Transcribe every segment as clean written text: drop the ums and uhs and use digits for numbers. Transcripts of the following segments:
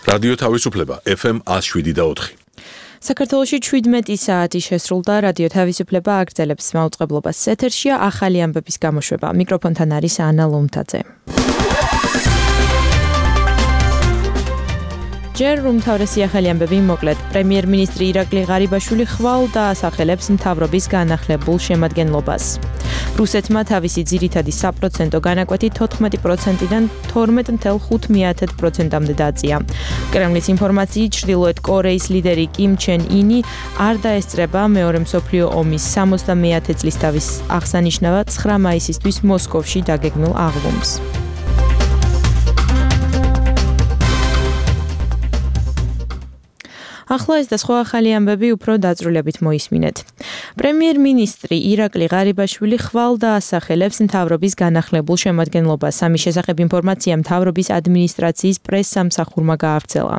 რადიო თავისუფლება FM 107.4. საქართველოში 17 საათი შესრულდა. რადიო თავისუფლება აგრძელებს მაუწყებლობას. ეთერშია ახალი ამბების გამოშვება. მიკროფონთან არის ანა ლომთაძე. ჯერ უმთავრესი ახალი ამბები მოკლედ. პრემიერ-მინისტრი ირაკლი ღარიბაშვილი ხვალ დაასახელებს მთავრობის განახლებულ შემადგენლობას. რუსეთმა თავისი ძირითადი საპროცენტო განაკვეთი 14%-დან 12.5%-მდე დააწია. კრემლის ინფორმაციით, ჩრდილოეთ კორეის ლიდერი კიმ ჩენ ინი არ დაესწრება მეორე მსოფლიო ომის 70-ე წლისთავის აღსანიშნავად 9 მაისისთვის მოსკოვში დაგეგმილ აღლუმს. ახლა ეს და სხვა ახალი ამბები უფრო დაწვრილებით მოისმინეთ. პრემიერ-მინისტრი ირაკლი ღარიბაშვილი ხვალ დაასახელებს მთავრობის განახლებულ შემადგენლობას. ამის შესახებ ინფორმაცია მთავრობის ადმინისტრაციის პრეს-სამსახურმა გაავრცელა.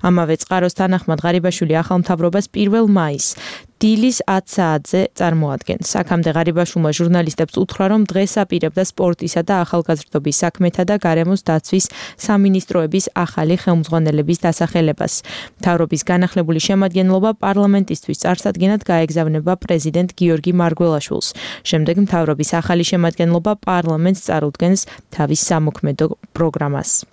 ამავე წყაროს თანახმად ღარიბაშვილი ახალ მთავრობას 1 მაისს დილის 10 საათზე წარმოადგენს. აქამდე ღარიბაშვილმა ჟურნალისტებს უთხრა, რომ დღეს აპირებდა სპორტისა და ახალგაზრდობის საქმეთა და გარემოს დაცვის სამინისტროების ახალი ხელმძღვანელების დასახელებას. მთავრობის განახლებული შემადგენლობა პარლამენტისთვის წარსადგენად გაეგზავნება პრეზიდენტ გიორგი მარგველაშვილს. შემდეგ მთავრობის ახალი შემადგენლობა პარლამენტს წარუდგენს თავის სამოქმედო პროგრამას.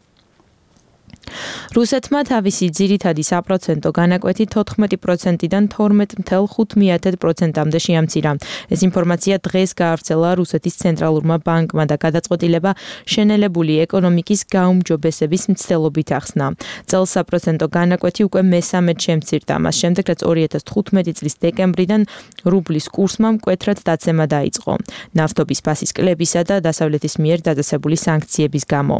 რუსეთმა თავისი ძირითადი საპროცენტო განაკვეთი 14%-დან 12.5%-მდე შეამცირა. ეს ინფორმაცია დღეს გაავრცელა რუსეთის ცენტრალურმა ბანკმა და გადაწყვეტილება შენელებული ეკონომიკის გაუმჯობესების მცდელობით ახსნა. წელს საპროცენტო განაკვეთი უკვე მესამედ შემცირდა. მას შემდეგ, რაც 2015 წლის დეკემბრიდან რუბლის კურსმა მკვეთრად დაცემა დაიწყო. ნავთობის ფასის კლებისა და დასავლეთის მიერ დადასებული სანქციების გამო.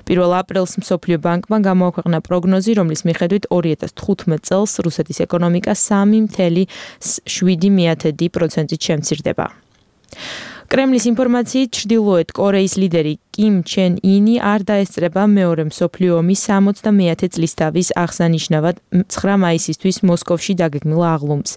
1 აპრილს მსოფლიო ბანკმა გამოაქვეყნა პროგნოზი, რომლის მიხედვით 2015 წელს რუსეთის ეკონომიკა 3.7%-ით შემცირდება. კრემლის ინფორმაციით, ჩრდილოეთ კორეის ლიდერი კიმ ჩენ ინი არ დაესწრება მეორე მსოფლიო ომის 70-ე წლისთავის აღსანიშნავად 9 მაისისთვის მოსკოვში დაგეგმილ აღლუმს.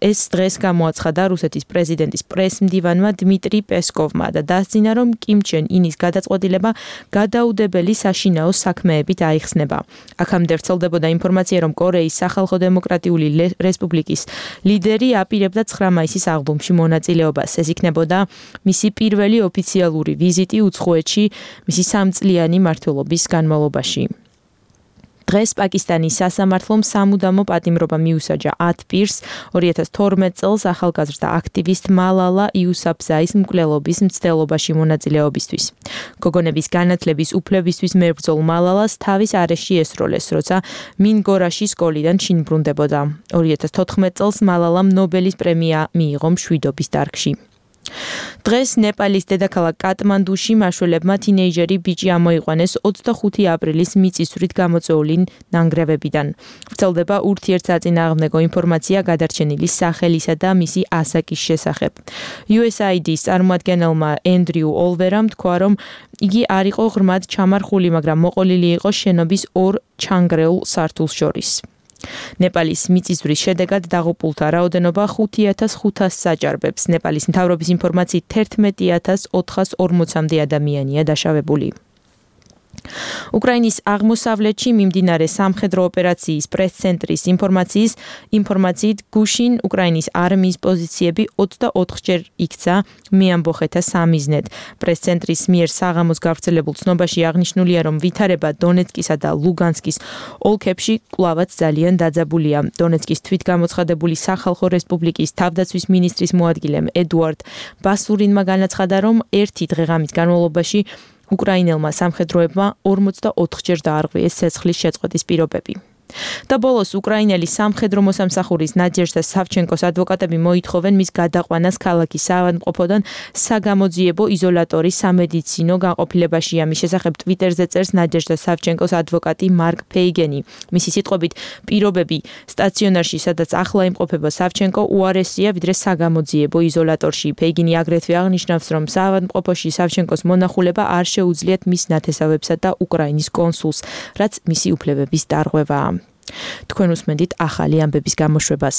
ეს დღეს გამოაცხადა რუსეთის პრეზიდენტის პრეს-მდივანმა დმიტრი პესკოვმა და დასძინა, რომ კიმ ჩენ ინის გადაწყვეტილება გადაუდებელი საშინაო საქმეებით აიხსნება. აქამდე ვრცელდებოდა ინფორმაცია, რომ კორეის სახალხო დემოკრატიული რესპუბლიკის ლიდერი აპირებდა 9 მაისის აღლუმში მონაწილეობას. ეს იქნებოდა მისი პირველი ოფიციალური ვიზიტი უცხოეთში მისი 3 წლიანი მმართველობის განმავლობაში. დღეს პაკისტანის სასამართლომ სამუდამო პატიმრობა მიუსაჯა 10 პირს 2012 წელს ახალგაზრდა აქტივისტ მალალა იუსაფზაის მკვლელობის მცდელობაში მონაწილეობისთვის. გოგონების განათლების უფლებისთვის მებრძოლ მალალას თავის არეში ესროლეს, როცა მინგორაში სკოლიდან შინ ბრუნდებოდა. 2014 წელს მალალამ ნობელის პრემია მიიღო მშვიდობის დარგში. დღეს ნეპალის დედაქალაქ კატმანდუში მაშველებმა თინეიჯერი ბიჭი ამოიყვანეს 25 აპრილის მიწისძვრით გამოწვეული ნანგრევებიდან. ვრცელდება ურთიერთსაწინააღმდეგო ინფორმაცია გადარჩენილი სახელისა და მისი ასაკის შესახებ. USAID-ის წარმოადგენელმა ენდრიუ ოლვერამ თქვა, რომ იგი არ იყო ღრმად ჩამარხული, მაგრამ მოყოლილი იყო შენობის 2 ჩანგრეულ სართულს შორის. ნეპალის მიწისძვრის შედეგად დაღუპულთა რაოდენობა 5500 საჭარბებს. ნეპალის მთავრობის ინფორმაციით 11440-მდე ადამიანია დაშავებული. უკრაინის აღმოსავლეთში მიმდინარე სამხედრო ოპერაციის პრეს-ცენტრის ინფორმაციით გუშინ უკრაინის არმიის პოზიციები 24-ჯერ იქცა მეამბოხეთა სამიზნედ. პრეს-ცენტრის მიერ საღამოს გავრცელებულ ცნობაში აღნიშნულია, რომ ვითარება დონეცკისა და ლუგანსკის ოლქებში კვლავაც ძალიან დაძაბულია. დონეცკის თვითგამოცხადებული სახალხო რესპუბლიკის თავდაცვის მინისტრის მოადგილემ ედუარდ ბასურინმა განაცხადა, რომ ერთი დღეღამის განმავლობაში უკრაინელმა სამხედროებმა 44-ჯერ დაარღვიეს ცეცხლის შეწყვეტის პირობები. და ბოლოს უკრაინელი სამხედრო მოსამსახურის ნადეჟდა სავჩენკოს ადვოკატები მოითხოვენ მის გადაყვანას ქალაქის საავადმყოფოდან საგამოძიებო იზოლატორის სამედიცინო განყოფილებაში. ამის შესახებ ტვიტერზე წერს ნადეჟდა სავჩენკოს ადვოკატი მარკ ფეიგენი. მისი სიტყვებით, პირობები სტაციონარში, სადაც ახლა იმყოფება სავჩენკო, უარესია ვიდრე საგამოძიებო იზოლატორში. ფეიგენი აგრეთვე აღნიშნავს, რომ საავადმყოფოში სავჩენკოს მონახულება არ შეუძლიათ მის ნათესავებსა და უკრაინის კონსულს, რაც მისი უფლებების დარღვევაა. თქვენ უსმენთ ახალი ამბების გამოშვებას.